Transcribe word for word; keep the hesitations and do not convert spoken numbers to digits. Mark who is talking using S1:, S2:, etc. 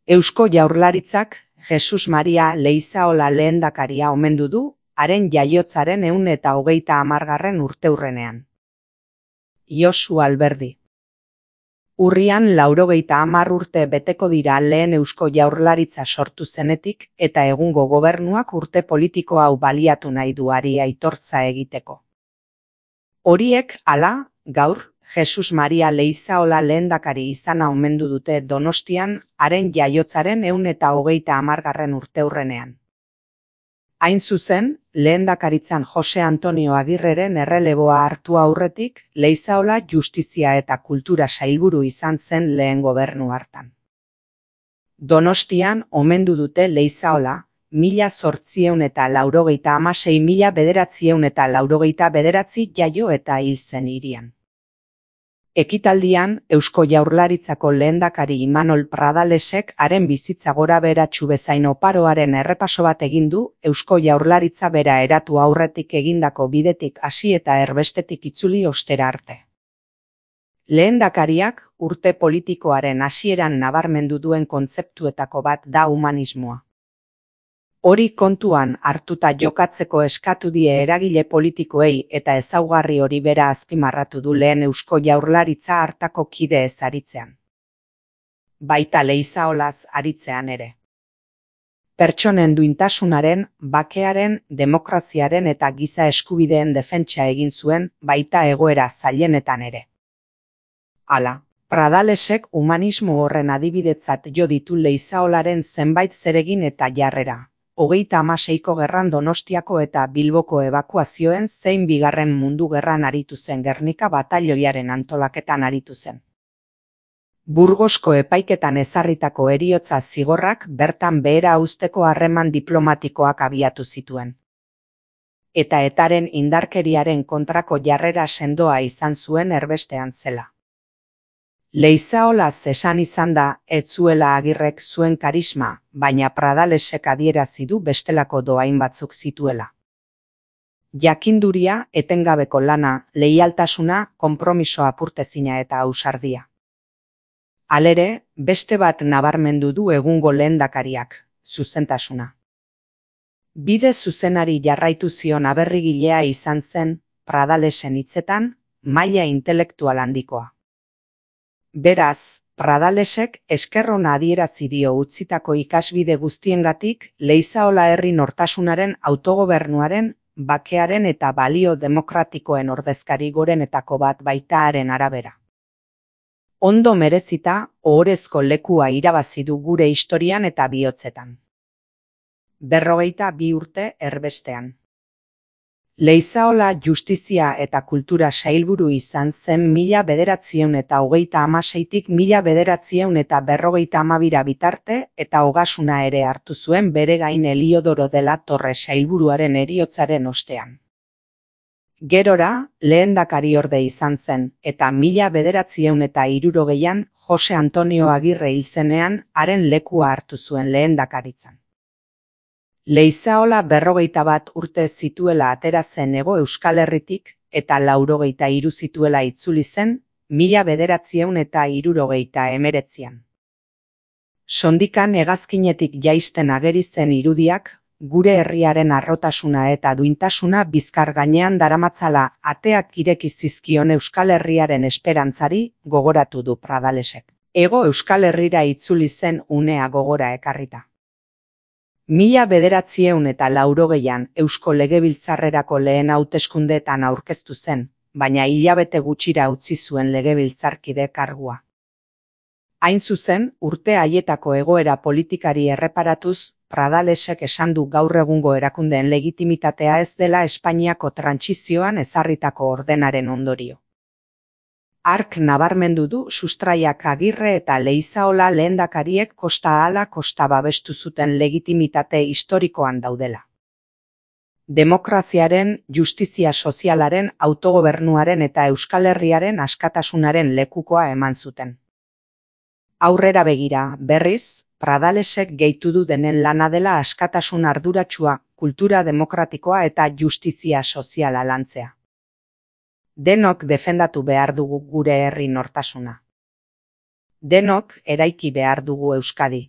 S1: Eusko Jaurlaritzak Jesus Maria Leizaola lehendakaria omendu du, haren jaiotzaren ehun eta hogeita hamargarren urteurrenean. Josu Alberdi. Urrian laurogeita hamar urte beteko dira lehen Eusko Jaurlaritza sortu zenetik eta egungo gobernuak urte politiko hau baliatu nahi duari aitortza egiteko. Horiek, hala, gaur, Jesus Maria Leizaola lehendakari izana omendu dute Donostian, haren jaiotzaren ehun eta hogeita hamargarren urteurrenean. Hain zuzen, lehendakaritzan Jose Antonio Agirreren erreleboa hartu aurretik, Leizaola Justizia eta Kultura sailburu izan zen lehen gobernu hartan. Donostian omendu dute Leizaola, mila zortziehun eta laurogeita hamasei mila bederatziehun eta laurogeita bederatzi jaio eta hil zen hirian. Ekitaldian, Eusko Jaurlaritzako lehendakari Imanol Pradalesek haren bizitza gora beratsu bezain oparoaren errepaso bat egin du Eusko Jaurlaritza bera eratu aurretik egindako bidetik hasi eta erbestetik itzuli ostera arte. Lehendakariak urte politikoaren hasieran nabarmendu duen kontzeptuetako bat da humanismoa. Hori kontuan hartuta jokatzeko eskatu die eragile politikoei eta ezaugarri hori bera azpimarratu du lehen Eusko Jaurlaritza hartako kide ez aritzean. Baita Leizaolaz aritzean ere. Pertsonen duintasunaren, bakearen, demokraziaren eta giza eskubideen defentsa egin zuen, baita egoera zailenetan ere. Hala, Pradalesek humanismo horren adibidetzat jo ditu Leizaolaren zenbait zeregin eta jarrera. Hogeita hamaseiko gerran Donostiako eta Bilboko ebakuazioen zein bigarren mundu gerran aritu zen Gernika batalioiaren antolaketan aritu zen. Burgosko epaiketan ezarritako heriotza zigorrak bertan behera uzteko harreman diplomatikoak abiatu zituen. Eta etaren indarkeriaren kontrako jarrera sendoa izan zuen erbestean zela. Leizaolaz esan izan da, ez zuela Agirrek zuen karisma, baina Pradalesek adierazi du bestelako dohain batzuk zituela. Jakinduria, etengabeko lana, leialtasuna, konpromiso apurtezina eta ausardia. Halere, beste bat nabarmendu du egungo lehendakariak, zuzentasuna. Bide zuzenari jarraitu zion aberrigilea izan zen, Pradalesen hitzetan, maila intelektual handikoa. Beraz, Pradalesek esker ona adierazi dio utzitako ikasbide guztiengatik Leizaola herri nortasunaren, autogobernuaren, bakearen eta balio demokratikoen ordezkari gorenetako bat baita haren arabera. Ondo merezita, ohorezko lekua irabazi du gure historian eta bihotzetan. Berrogeita bi urte erbestean. Leizaola Justizia eta Kultura sailburu izan zen mila bederatziehun eta hogeita hamaseitik mila bederatziehun eta berrogeita hamabira bitarte eta ogasuna ere hartu zuen bere gain Eliodoro de la Torre sailburuaren heriotzaren ostean. Gerora, lehendakariorde izan zen, eta mila bederatziehun eta hirurogeian Jose Antonio Agirre hil zenean haren lekua hartu zuen lehendakaritzan. Leizaola berrogeita bat urte zituela atera zen Hego Euskal Herritik eta laurogeita hiru zituela itzuli zen, mila bederatziehun eta hirurogeita hemeretzian. Sondikan hegazkinetik jaisten ageri zen irudiak, gure herriaren harrotasuna eta duintasuna bizkar gainean daramatzala ateak ireki zizkion Euskal Herriaren esperantzari gogoratu du Pradalesek. Hego Euskal Herrira itzuli zen unea gogora ekarrita. Mila bederatziehun eta laurogeian Eusko Legebiltzarrerako lehen hauteskundeetan aurkeztu zen, baina hilabete gutxira utzi zuen legebiltzarkide kargua. Hain zuzen, urte haietako egoera politikari erreparatuz, Pradalesek esan du gaur egungo erakundeen legitimitatea ez dela Espainiako trantsizioan ezarritako ordenaren ondorio. Hark nabarmendu du sustraiak Agirre eta Leizaola lehendakariek kosta ahala kosta babestu zuten legitimitate historikoan daudela. Demokraziaren, justizia sozialaren, autogobernuaren eta Euskal Herriaren askatasunaren lekukoa eman zuten. Aurrera begira, berriz, Pradalesek gehitu du denen lana dela askatasun arduratsua, kultura demokratikoa eta justizia soziala lantzea. Denok defendatu behar dugu gure herri nortasuna. Denok eraiki behar dugu Euskadi.